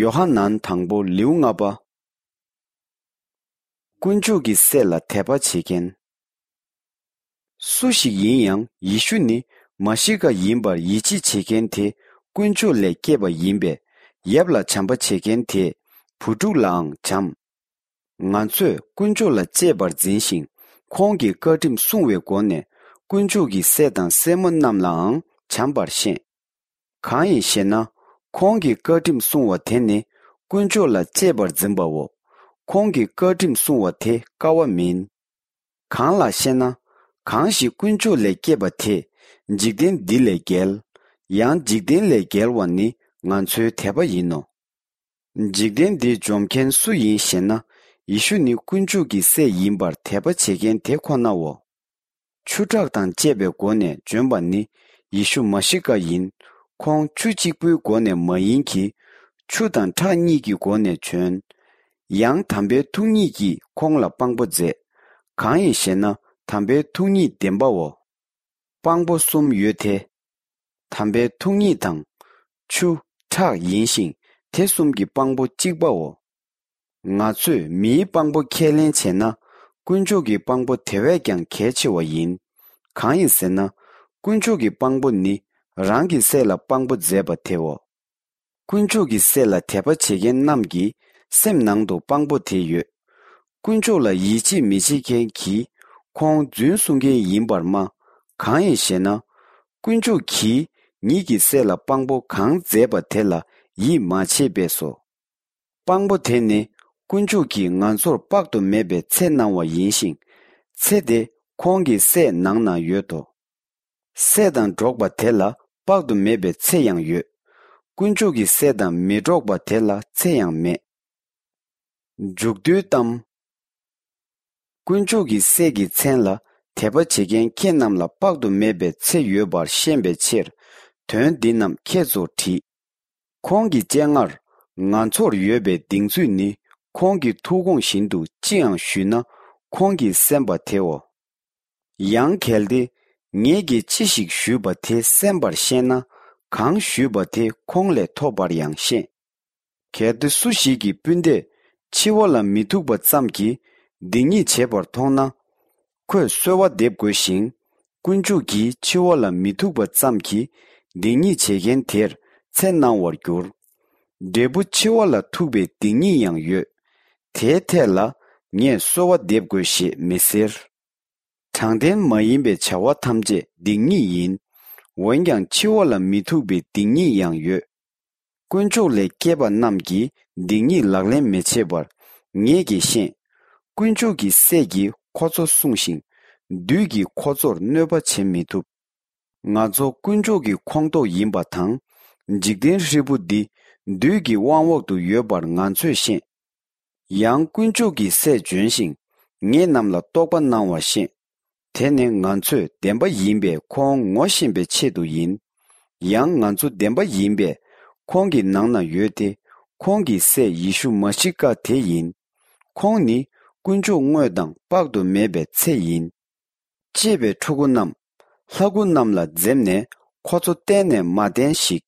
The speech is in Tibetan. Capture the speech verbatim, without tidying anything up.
ཡོ་ཧ་ནན་དང་པོ་ལེའུ་ལྔ་པ། དཀོན་མཆོག་གི་སྲས་ལ་དད་པ་བྱེད་མཁན། སུ་ཞིག་ཡིན་ཡང་ཡེ་ཤུ་ནི་མཱ་ཤི་ཀ་ཡིན་པར་ཡིད་ཆེས་བྱེད་མཁན་དེ་དཀོན་མཆོག་ལས་སྐྱེས་པ་ཡིན་པས། ཡབ་ལ་བྱམས་པ་བྱེད་མཁན་དེས་བུ་ཕྲུག་ལའང་བྱམས། ང་ཚོས་དཀོན་མཆོག་ལ་གཅེས་པར་འཛིན་ཞིང་། ཁོང་གི་བཀའ་ཁྲིམས་སྲུང་བའི་སྒོ་ནས་དཀོན་མཆོག་གི་སྲས་དང་སྲས་མོ་རྣམས་ལའང་བྱམས་པར་ཤེས། གང་ཡིན་ཞེ་ན། ཁོང་གི་བཀའ་ཁྲིམས་སྲུང་བ་དེ་ནི་དཀོན་མཆོག་ལ་གཅེས་པར་འཛིན་པའོ། ཁོང་གི་བཀའ་ཁྲིམས་སྲུང་བ་དེ་དཀའ་བ་མིན། གང་ལགས་ཤེ་ན། གང་ཞིག་དཀོན་མཆོག་ལས་སྐྱེས་པ་དེས་འཇིག་རྟེན་འདི་ལས་རྒྱལ། ཡང་འཇིག་རྟེན་ལས་རྒྱལ་བ་ནི་ང་ཚོའི་དད་པ་ཡིན་ནོ། འཇིག་རྟེན་འདི་འཇོམས་མཁན་སུ་ཡིན་ཞེ་ན། ཡེ་ཤུ་ནི་དཀོན་མཆོག་གི་སྲས་ཡིན་པར་དད་པ་བྱེད་མཁན་དེ་ཁོ་ནའོ། ཆུ་ཁྲག་དང་བཅས་པའི་སྒོ་ནས་བྱོན་པ་ནི་ཡེ་ཤུ་མཱ་ཤི་ཀ་ཡིན། ཁོང་ཆུ་གཅིག་པུའི་སྒོ་ནས་མ་ཡིན་གྱི། ཆུ་དང་ཁྲག་གཉིས་ཀྱི་སྒོ་ནས་བྱོན། ཡང་དམ་པའི་ཐུགས་ཉིད་ཀྱིས་ཁོང་ལ་དཔང་པོ་མཛད། གང་ཡིན་ཞེ་ན། དམ་པའི་ཐུགས་ཉིད་བདེན་པའོ། དཔང་པོ་གསུམ་ཡོད་དེ། དམ་པའི་ཐུགས་ཉིད་དང་། ཆུ། ཁྲག་ཡིན་ཞིང་དེ་གསུམ་གྱི་དཔང་པོ་གཅིག་པའོ། ང་ཚོས་མིའི་དཔང་པོ་ཁས་ལེན་བྱས་ན། དཀོན་མཆོག་གི་དཔང་པོ་དེ་བས་ཀྱང་གལ་ཆེ་བ་ཡིན། གང་ཡིན་ཟེར་ན། དཀོན་མཆོག་གི་དཔང་པོ་ནི་རང་གི་སྲས་ལ་དཔང་པོ་མཛད་པ་དེའོ། དཀོན་མཆོག་གི་སྲས་ལ་དད་པ་བྱེད་མཁན་རྣམས་ཀྱི་སེམས་ནང་དུ་དཔང་པོ་དེ་ཡོད། དཀོན་མཆོག་ལ་ཡིད་ཆེས་མི་བྱེད་མཁན་གྱིས་ཁོང་རྫུན་གསུང་མཁན་ཡིན་པར་སྨྲ། གང་ཡིན་ཞེ་ན། དཀོན་མཆོག་གིས་ཉིད་ཀྱི་སྲས་ལ་དཔང་པོ་གང་མཛད་པ་དེ་ལ་ཡིད་མ་ཆེས་པས་སོ། དཔང་པོ་དེ་ནི་དཀོན་མཆོག་གིས་ང་ཚོར་དཔག་ཏུ་མེད་པའི་ཚེ་གནང་བ་ཡིན་ཞིང་། ཚེ་དེ་ཁོང་གི་སྲས་ནང་ན་ཡོད་དོ། སྲས་དང་འགྲོགས་པ་དེ་ལ་དཔག་ཏུ་མེད་པའི་ཚེ་ཡང་ཡོད། དཀོན་མཆོག་གི་སྲས་དང་མི་འགྲོགས་པ་དེ་ལ་ཚེ་ཡང་མེད། མཇུག་བསྡུའི་གཏམ། དཀོན་མཆོག་གི་སྲས་ཀྱི་མཚན་ལ་དད་པ་བྱེད་མཁན་ཁྱེད་རྣམས་ལ་དཔག་ཏུ་མེད་པའི་ཚེ་ཡོད་པར་ཤེས་པའི་ཕྱིར། དོན་འདི་རྣམས་ཁྱེད་ཚོར་བྲིས། ཁོང་གི་སྤྱན་སྔར་ང་ཚོར་ཡོད་པའི་གདེང་ཚོད་ནི། ཁོང་གི་ཐུགས་དགོངས་བཞིན་དུ་ཅི་ཡང་ཞུས་ན་ཁོང་གིས་གསན་པ་དེའོ། ཡང་གལ་ཏེ་ངེད་ཀྱིས་ཅི་ཞིག་ཞུས་པ་དེ་གསན་པར་ཤེས་ན། གང་ཞུས་པ་དེ་ཁོང་ལས་ཐོབ་པར་ཡང་ཤེས། གལ་ཏེ་སུ་ཞིག་གིས་སྤུན་ཟླས་འཆི་བ་ལ་མི་ཐུག་པ་ཙམ་གྱིས་སྡིག་ཉེས་བྱེད་པར་མཐོང་ན། ཁོས་གསོལ་བ་འདེབས་དགོས་ཤིང་། དཀོན་མཆོག་གིས་འཆི་བ་ལ་མི་ཐུག་པ་ཙམ་གྱིས་སྡིག་ཉེས་བྱེད་མཁན་དེར་ཚེ་གནང་བར་འགྱུར། འབྲས་བུ་འཆི་བ་ལ་ཐུག་པའི་སྡིག་ཉེས་ཡང་ཡོད། དེའི་ཐད་ལ་ངས་གསོལ་བ་འདེབས་དགོས་ཞེས་མི་ཟེར། དྲང་བདེན་མ་ཡིན་པའི་བྱ་བ་ཐམས་ཅད་སྡིག་ཉེས་ཡིན། འོན་ཀྱང་འཆི་བ་ལ་མི་ཐུག་པའི་སྡིག་ཉེས་ཡང་ཡོད། དཀོན་མཆོག་ལས་སྐྱེས་པ་རྣམས་ཀྱིས་སྡིག་ཉེས་ལག་ལེན་མི་བྱེད་པར་ངེད་ཀྱིས་ཤེས། དཀོན་མཆོག་གི་སྲས་ཀྱིས་ཁོ་ཚོ་བསྲུང་ཞིང་། བདུད་ཀྱིས་ཁོ་ཚོར་གནོད་པ་བྱེད་མི་ཐུབ། ང་ཚོ་དཀོན་མཆོག་གི་ཁོངས་གཏོགས་ཡིན་པ་དང་། འཇིག་རྟེན་ཧྲིལ་པོ་འདི་བདུད་ཀྱི་དབང་འོག་ཏུ་ཡོད་པར་ང་ཚོས་ཤེས། ཡང་དཀོན་མཆོག་གི་སྲས་བྱོན་ཞིང་ངེད་རྣམས་ལ་རྟོགས་པ་གནང་བ་ཤེས། དེ་ནི་ང་ཚོས་བདེན་པ་ཡིན་པས་ཁོང་ངོ་ཤེས་པའི་ཆེད་དུ་ཡིན། ཡང་ང་ཚོ་བདེན་པ་ཡིན་པས་ཁོང་གི་ནང་ན་ཡོད་དེ། ཁོང་གི་སྲས་ཡེ་ཤུ་མཱ་ཤི་ཀ་དེ་ཡིན། ཁོང་ནི་དཀོན་མཆོག་དངོས་དང་དཔག་ཏུ་མེད་པའི་ཚེ་ཡིན། གཅེས་པའི་ཕྲུ་གུ་རྣམས། ལྷ་སྐུ་རྣམས་ལ་འཛེམས་ནས་ཁོ་ཚོ་གཏན་ནས་མ་བསྟེན་ཞིག།